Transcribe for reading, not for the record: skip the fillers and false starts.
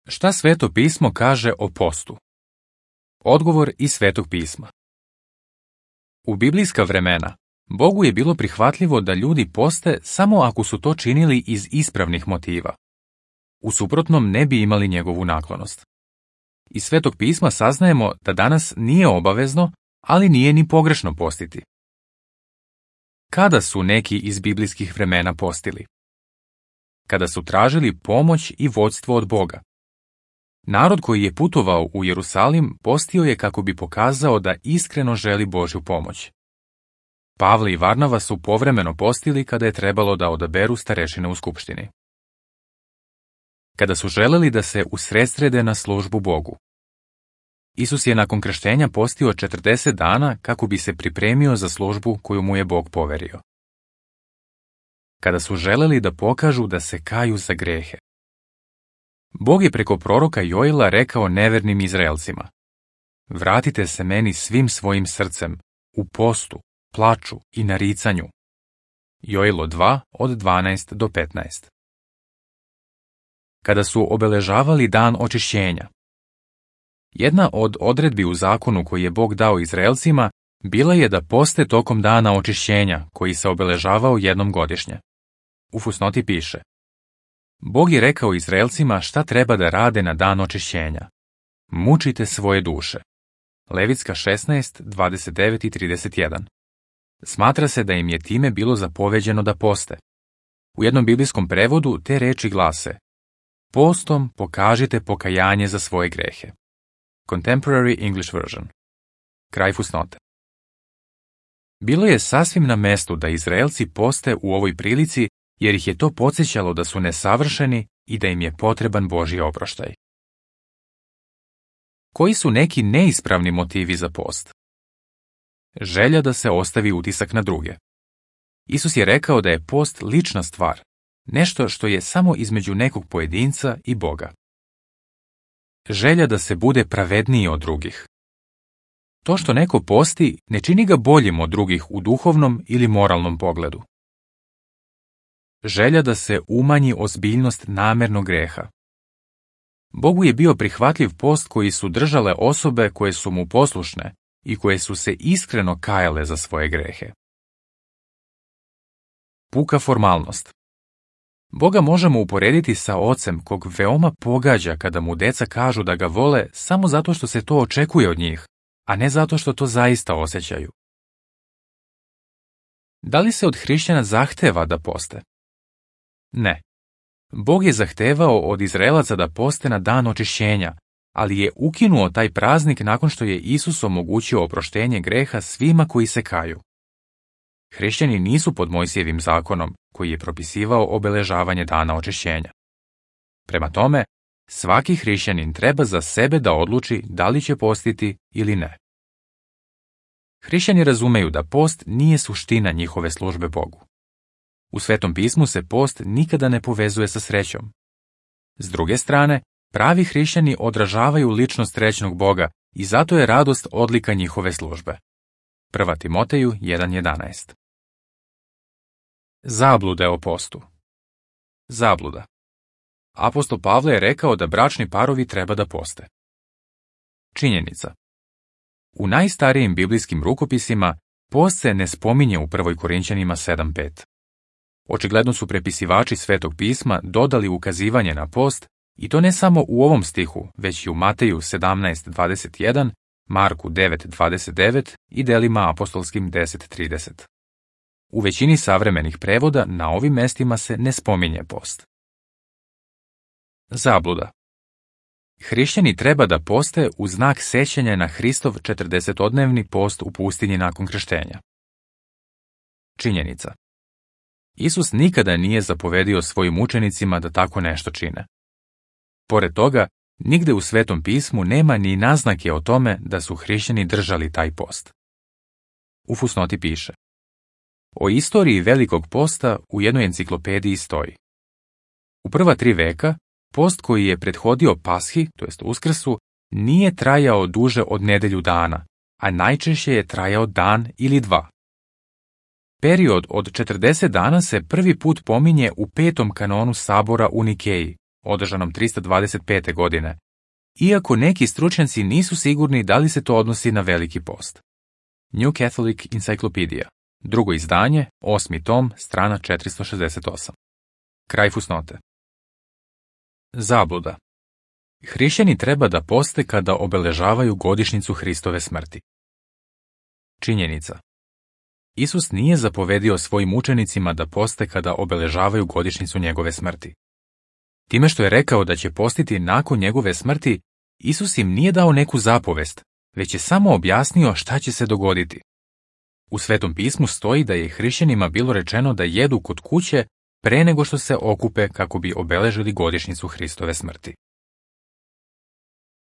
Šta Sveto pismo kaže o postu? Odgovor iz Svetog pisma. U biblijska vremena, Bogu je bilo prihvatljivo da ljudi poste samo ako su to činili iz ispravnih motiva. U suprotnom ne bi imali njegovu naklonost. Iz Svetog pisma saznajemo da danas nije obavezno, ali nije ni pogrešno postiti. Kada su neki iz biblijskih vremena postili? Kada su tražili pomoć i vodstvo od Boga. Narod koji je putovao u Jerusalim postio je kako bi pokazao da iskreno želi Božju pomoć. Pavle i Varnava su povremeno postili kada je trebalo da odaberu starešine u skupštini. Kada su želeli da se usredsrede na službu Bogu. Isus je nakon krštenja postio 40 dana kako bi se pripremio za službu koju mu je Bog poverio. Kada su želeli da pokažu da se kaju za grehe. Bog je preko proroka Joila rekao nevernim Izraelcima: Vratite se meni svim svojim srcem, u postu, plaču i naricanju. Joilo 2 od 12 do 15. Kada su obeležavali dan očišćenja. Jedna od odredbi u zakonu koji je Bog dao Izraelcima bila je da poste tokom dana očišćenja koji se obeležavao jednom godišnje. U fusnoti piše: Bog je rekao Izraelcima šta treba da rade na dan očišćenja. Mučite svoje duše. Levitska 16, 29 i 31. Smatra se da im je time bilo zapoveđeno da poste. U jednom biblijskom prevodu te reči glase: Postom pokažite pokajanje za svoje grehe. Contemporary English Version. Kraj fusnote. Bilo je sasvim na mestu da Izraelci poste u ovoj prilici, jer ih je to podsjećalo da su nesavršeni i da im je potreban Božji oproštaj. Koji su neki neispravni motivi za post? Želja da se ostavi utisak na druge. Isus je rekao da je post lična stvar, nešto što je samo između nekog pojedinca i Boga. Želja da se bude pravedniji od drugih. To što neko posti ne čini ga boljim od drugih u duhovnom ili moralnom pogledu. Želja da se umanji ozbiljnost namernog greha. Bogu je bio prihvatljiv post koji su držale osobe koje su mu poslušne i koje su se iskreno kajale za svoje grehe. Puka formalnost. Boga možemo uporediti sa ocem kog veoma pogađa kada mu deca kažu da ga vole samo zato što se to očekuje od njih, a ne zato što to zaista osjećaju. Da li se od hrišćana zahteva da poste? Ne. Bog je zahtevao od Izraelaca da poste na dan očišćenja, ali je ukinuo taj praznik nakon što je Isus omogućio oproštenje greha svima koji se kaju. Hrišćani nisu pod Mojsijevim zakonom, koji je propisivao obeležavanje dana očišćenja. Prema tome, svaki hrišćanin treba za sebe da odluči da li će postiti ili ne. Hrišćani razumeju da post nije suština njihove službe Bogu. U Svetom pismu se post nikada ne povezuje sa srećom. S druge strane, pravi hrišćani odražavaju ličnost srećnog Boga i zato je radost odlika njihove službe. 1. Timoteju 1.11. Zablude o postu. Zabluda. Apostol Pavle je rekao da bračni parovi treba da poste. Činjenica. U najstarijim biblijskim rukopisima post se ne spominje u 1. Korinćanima 7.5. Očigledno su prepisivači Svetog pisma dodali ukazivanje na post, i to ne samo u ovom stihu, već i u Mateju 17.21, Marku 9.29 i delima apostolskim 10.30. U većini savremenih prevoda na ovim mestima se ne spominje post. Zabluda. Hrišćani treba da poste u znak sećanja na Hristov 40-dnevni post u pustinji nakon krštenja. Činjenica. Isus nikada nije zapovedio svojim učenicima da tako nešto čine. Pored toga, nigde u Svetom pismu nema ni naznake o tome da su hrišćani držali taj post. U fusnoti piše: O istoriji Velikog posta u jednoj enciklopediji stoji: U prva 3 veka, post koji je prethodio Pashi, to jest Uskrsu, nije trajao duže od nedelju dana, a najčešće je trajao dan ili 2. Period od 40 dana se prvi put pominje u 5. kanonu sabora u Nikeji, održanom 325. godine, iako neki stručnjaci nisu sigurni da li se to odnosi na Veliki post. New Catholic Encyclopedia, drugo izdanje, 8. tom, strana 468. Kraj fusnote. Zabluda. Hrišćani treba da poste kada obeležavaju godišnjicu Hristove smrti. Činjenica. Isus nije zapovedio svojim učenicima da poste kada obeležavaju godišnjicu njegove smrti. Time što je rekao da će postiti nakon njegove smrti, Isus im nije dao neku zapovest, već je samo objasnio šta će se dogoditi. U Svetom pismu stoji da je hrišćanima bilo rečeno da jedu kod kuće pre nego što se okupe kako bi obeležili godišnjicu Hristove smrti.